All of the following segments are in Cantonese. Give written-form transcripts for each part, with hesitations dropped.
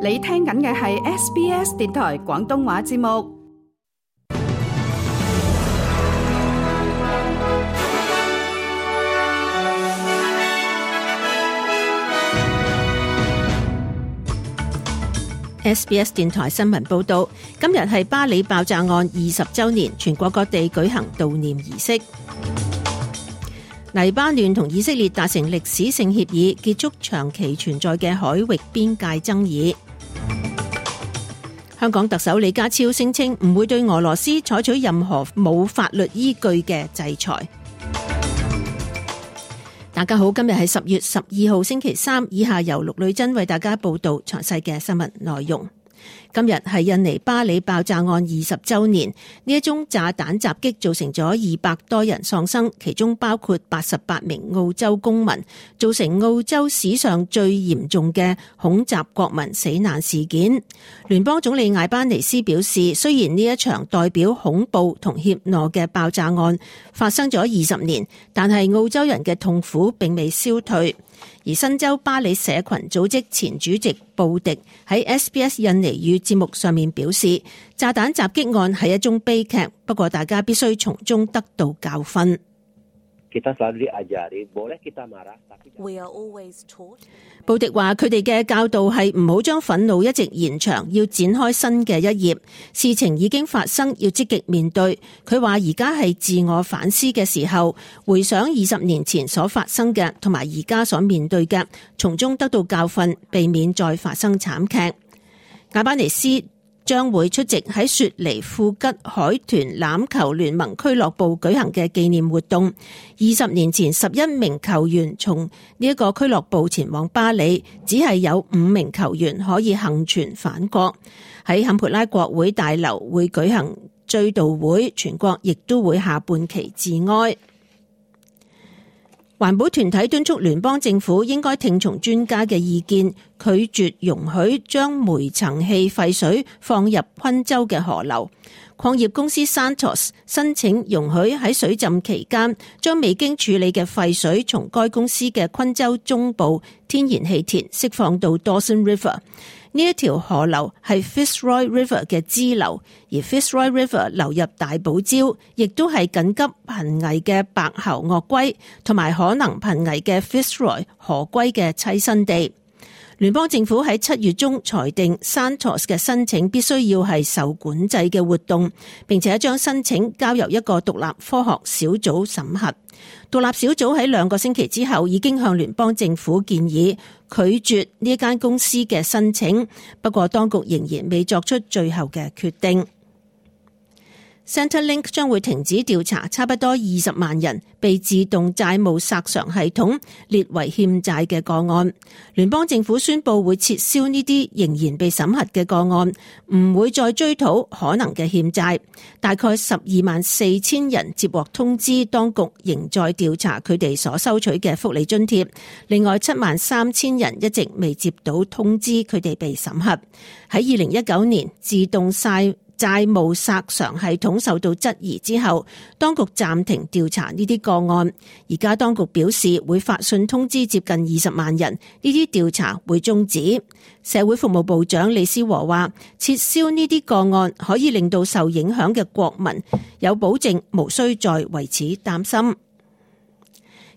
你聽緊嘅係 SBS 電台廣東話節目。SBS 電台新聞報道，今日係巴里爆炸案20週年，全國各地舉行悼念儀式。黎巴嫩同以色列達成歷史性協議，結束長期存在嘅海域邊界爭議。香港特首李家超聲稱唔會對俄羅斯採取任何冇法律依據嘅制裁。大家好，今日係10月12號星期三，以下由陸女珍為大家報道詳細嘅新聞內容。今日係印尼巴里爆炸案20週年，呢一宗炸彈襲擊造成咗200多人喪生，其中包括88名澳洲公民，造成澳洲史上最嚴重嘅恐襲國民死難事件。聯邦總理艾班尼斯表示，雖然呢一場代表恐怖同怯懦嘅爆炸案發生咗20年，但係澳洲人嘅痛苦並未消退。而新州巴里社群組織前主席布迪喺 SBS 印尼語節目上面表示，炸彈襲擊案係一宗悲劇，不過大家必須從中得到教訓。布迪話佢哋嘅教導係唔好將憤怒一直延長，要展開新嘅一頁。事情已經發生，要積極面對。佢話而家係自我反思嘅時候，回想20年前所發生嘅同埋而家所面對嘅，從中得到教訓，避免再發生慘劇。艾班尼斯將會出席喺雪梨富吉海豚欖球聯盟俱樂部舉行嘅紀念活動。20年前11名球員從呢一個俱樂部前往巴里，只係有5名球員可以幸存返國。喺坎培拉國會大樓會舉行追悼會，全國亦都會下半旗致哀。環保團體敦促聯邦政府應該聽從專家嘅意見，拒絕容許將煤層氣廢水放入昆州嘅河流。礦業公司 Santos 申請容許喺水浸期間將未經處理嘅廢水從該公司嘅昆州中部天然氣田釋放到 Dawson River。呢一條河流係 Fitzroy River 嘅支流，而 Fitzroy River 流入大堡礁，亦都係緊急瀕危嘅白喉鱷龜同埋可能瀕危嘅 Fitzroy 河龜嘅棲身地。聯邦政府喺7月中裁定 Santos 嘅申請必須要係受管制嘅活動，並且將申請交由一個獨立科學小組審核。獨立小組喺2個星期之後已經向聯邦政府建議拒絕呢間公司嘅申請，不過當局仍然未作出最後嘅決定。Centrelink 將會停止調查差不多20萬人被自動債務索償系統列為欠債嘅個案。聯邦政府宣布會撤銷呢啲仍然被審核嘅個案，唔會再追討可能嘅欠債。大概124,000人接獲通知，當局仍在調查佢哋所收取嘅福利津貼。另外73,000人一直未接到通知，佢哋被審核。喺2019年，自動債務索償系統受到質疑之後，當局暫停調查呢啲個案。而家當局表示會發信通知接近20萬人，呢啲調查會終止。社會服務部長李思和話，撤銷呢啲個案可以令到受影響嘅國民有保證，無需再為此擔心。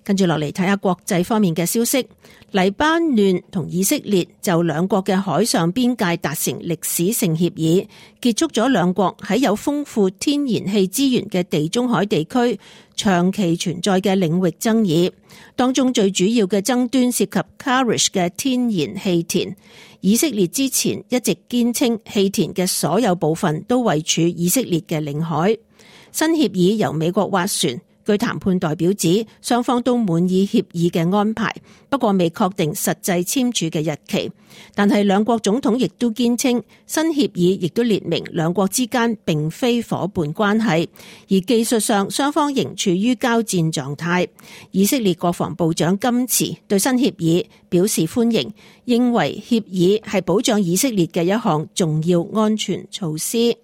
跟住落嚟睇下國際方面嘅消息。黎巴嫩同以色列就兩國嘅海上邊界達成歷史性協議，結束咗兩國喺有豐富天然氣資源嘅地中海地區長期存在嘅領域爭議。當中最主要嘅爭端涉及 Karish 嘅天然氣田。以色列之前一直堅稱氣田嘅所有部分都位處以色列嘅領海。新協議由美國斡旋。據談判代表指，雙方都滿意協議嘅安排，不過未確定實際簽署嘅日期。但係兩國總統亦都堅稱，新協議亦都列明兩國之間並非夥伴關係，而技術上雙方仍處於交戰狀態。以色列國防部長甘茨對新協議表示歡迎，認為協議係保障以色列嘅一項重要安全措施。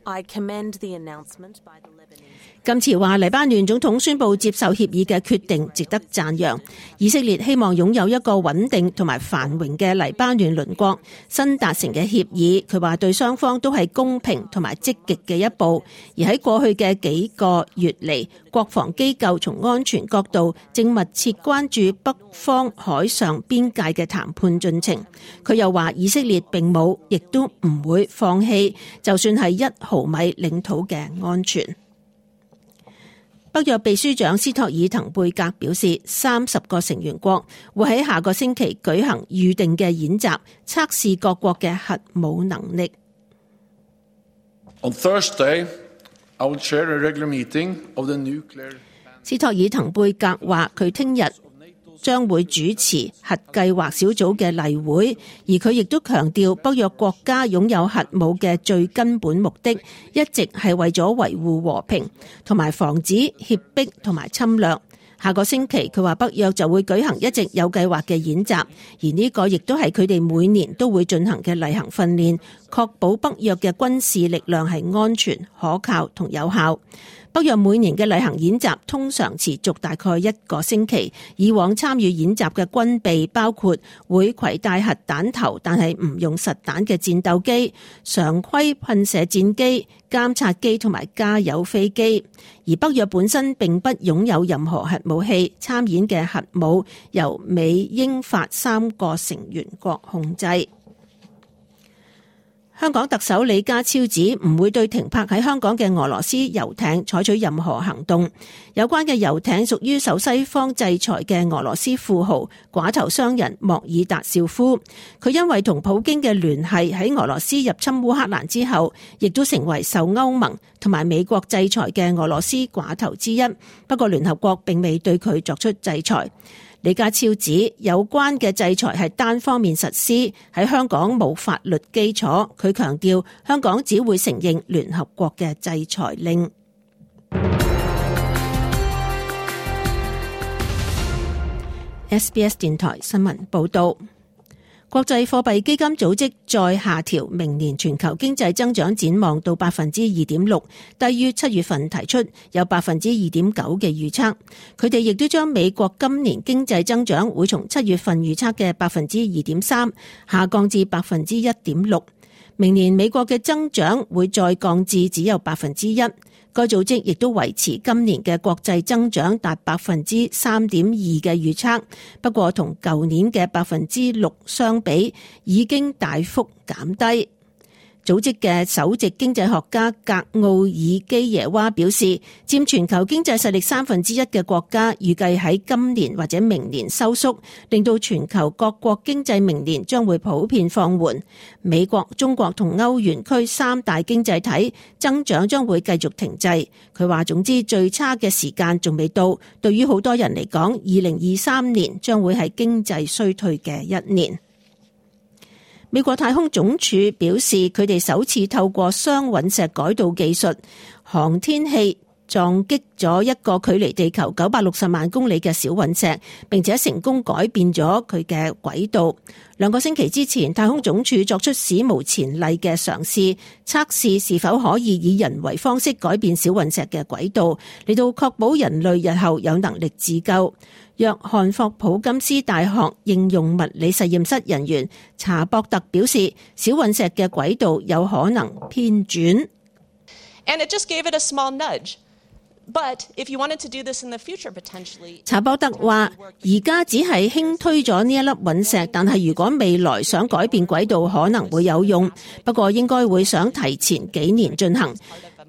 I commend the announcement by the Lebanese. 今次話黎巴嫩總統宣布接受協議嘅決定值得讚揚。以色列希望擁有一個穩定同埋繁榮嘅黎巴嫩鄰國，新達成嘅協議，佢話對雙方都係公平同埋積極嘅一步。而喺過去嘅幾個月嚟，國防機構從安全角度正密切關注北方海上邊界嘅談判進程。佢又話以色列並冇，亦都唔會放棄，就算係1毫米領土嘅安全。北約秘書長斯托爾滕貝格表示，30個成員國會喺下個星期舉行預定嘅演習，測試各國嘅核武能力。On Thursday, I will chair a regular meeting of the nuclear. 斯托爾滕貝格話，佢聽日將會主持核計劃小組嘅例會，而佢亦都強調北約國家擁有核武嘅最根本目的，一直係為咗維護和平同埋防止脅迫同埋侵略。下個星期佢話北約就會舉行一直有計劃嘅演習，而呢個亦都係佢哋每年都會進行嘅例行訓練，確保北約嘅軍事力量係安全、可靠同有效。北約每年嘅例行演習通常持續大概1個星期，以往參與演習嘅軍備包括會攜帶核彈頭但係唔用實彈嘅戰鬥機、常規噴射戰機、監察機同埋加油飛機。而北約本身並不擁有任何核武器，參演嘅核武由美、英、法3個成員國控制。香港特首李家超指唔會對停泊喺香港嘅俄羅斯遊艇採取任何行動。有關嘅遊艇屬於受西方制裁嘅俄羅斯富豪寡頭商人莫爾達紹夫。佢因為同普京嘅聯繫，喺俄羅斯入侵烏克蘭之後，亦都成為受歐盟同埋美國制裁嘅俄羅斯寡頭之一。不過聯合國並未對佢作出制裁。李家超指有關嘅制裁係單方面實施，喺香港冇法律基礎。佢強調香港只會承認聯合國嘅制裁令。SBS 電台新聞報道。國際貨幣基金組織再下調明年全球經濟增長展望到 2.6%， 低於7月份提出有 2.9% 嘅預測。佢哋亦都將美國今年經濟增長會從7月份預測嘅 2.3% 下降至 1.6%。明年美國嘅增長會再降至只有 1%。該組織亦都維持今年嘅國際增長達 3.2% 嘅預測，不過同舊年嘅 6% 相比，已經大幅減低。組織嘅首席經濟學家格奧爾基耶娃表示，佔全球經濟實力1/3嘅國家預計喺今年或者明年收縮，令到全球各國經濟明年將會普遍放緩。美國、中國同歐元區3大經濟體增長將會繼續停滯。佢話總之最差嘅時間仲未到，對於好多人嚟講，2023年將會係經濟衰退嘅一年。美國太空總署表示，佢哋首次透過雙隕石改道技術航天器撞擊咗一個距離地球960萬公里嘅小隕石，並且成功改變咗佢嘅軌道。2個星期之前，太空總署作出史無前例嘅嘗試，測試是否可以以人為方式改變小隕石嘅軌道，嚟到確保人類日後有能力自救。約翰霍普金斯大學應用物理實驗室人員查博特表示，小隕石嘅軌道有可能偏轉。And it just gave it a small nudge. But if you wanted to do this in the future, potentially. 查博特話：而家只係輕推咗呢一粒隕石，但係如果未來想改變軌道，可能會有用。不過應該會想提前幾年進行，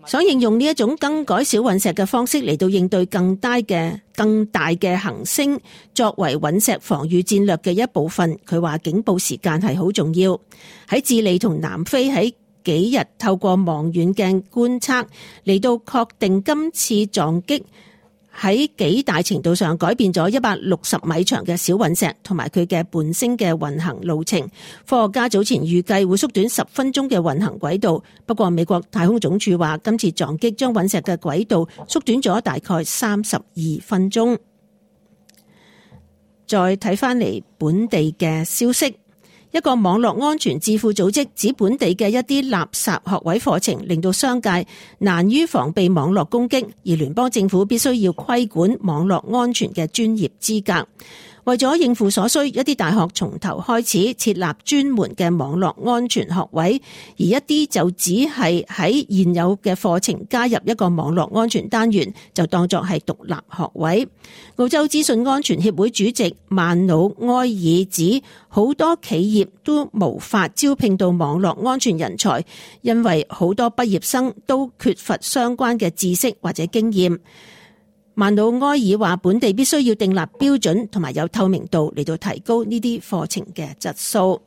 想應用呢一種更改小隕石嘅方式嚟到應對更大嘅行星，作為隕石防禦戰略嘅一部分。佢話警報時間係好重要。喺智利同南非喺幾日透過望遠鏡觀測嚟到確定今次撞擊喺幾大程度上改變咗160米長嘅小隕石同埋佢嘅伴星嘅運行路程。科學家早前預計會縮短10分鐘嘅運行軌道，不過美國太空總署話今次撞擊將隕石嘅軌道縮短咗大概32分鐘。再睇翻嚟本地嘅消息。一個網絡安全智庫組織指本地嘅一啲垃圾學位課程令到商界難於防備網絡攻擊，而聯邦政府必須要規管網絡安全嘅專業資格。為咗應付所需，一啲大學從頭開始設立專門嘅網絡安全學位，而一啲就只係喺現有嘅課程加入一個網絡安全單元，就當作係獨立學位。澳洲資訊安全協會主席曼努埃爾指，好多企業都無法招聘到網絡安全人才，因為好多畢業生都缺乏相關嘅知識或者經驗。曼努埃爾話，本地必須要訂立標準同埋有透明度嚟到提高呢啲課程嘅質素。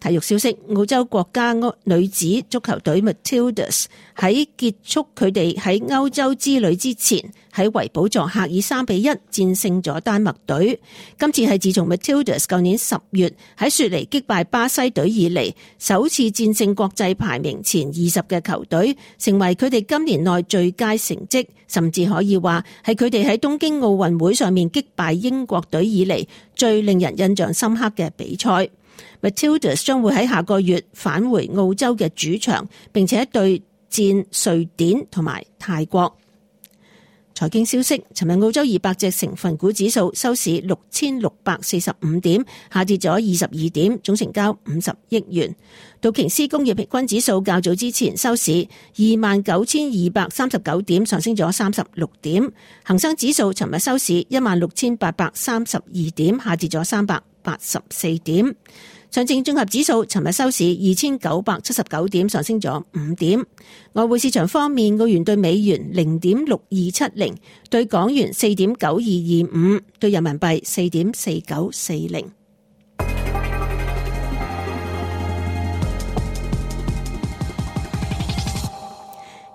體育消息，澳洲國家女子足球隊 Matildas 喺結束佢哋喺歐洲之旅之前，喺維堡作客以3-1戰勝咗丹麥隊。今次係自從 Matildas 舊年10月喺雪梨擊敗巴西隊以嚟，首次戰勝國際排名前20嘅球隊，成為佢哋今年內最佳成績，甚至可以話係佢哋喺東京奧運會上面擊敗英國隊以嚟最令人印象深刻嘅比賽。Matildas 將會喺下個月返回澳洲嘅主場，並且對戰瑞典同埋泰國。財經消息，尋日澳洲200隻成分股指數收市6645點，下跌咗22點，總成交50億元。道瓊斯工業平均指數較早之前收市29239點，上升咗36點。恒生指數尋日收市16832點，下跌咗384點。上證綜合指數尋日收市2979點，上升咗5點。外匯市場方面，澳元對美元0.6270，對港元4.9225，對人民幣4.4940。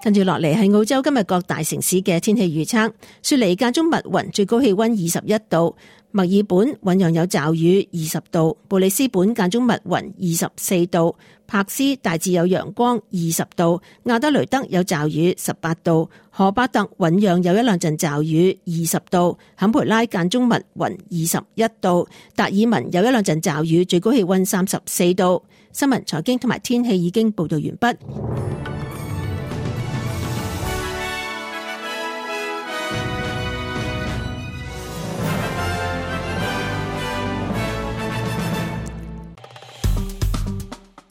跟住落嚟係澳洲今日各大城市嘅天氣預測。雪梨間中密雲，最高氣溫21度；墨爾本醞釀有驟雨，20度；布里斯本間中密雲，24度；柏斯大致有陽光，20度；亞德雷德有驟雨，18度；荷巴特醞釀有一兩陣驟雨，20度；坎培拉間中密雲，21度；達爾文有一兩陣驟雨，最高氣溫34度。新聞、財經同埋天氣已經報道完畢。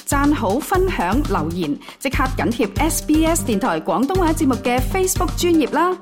讚好、分享、留言，即刻緊貼SBS 電台廣東話節目嘅 Facebook 專頁啦！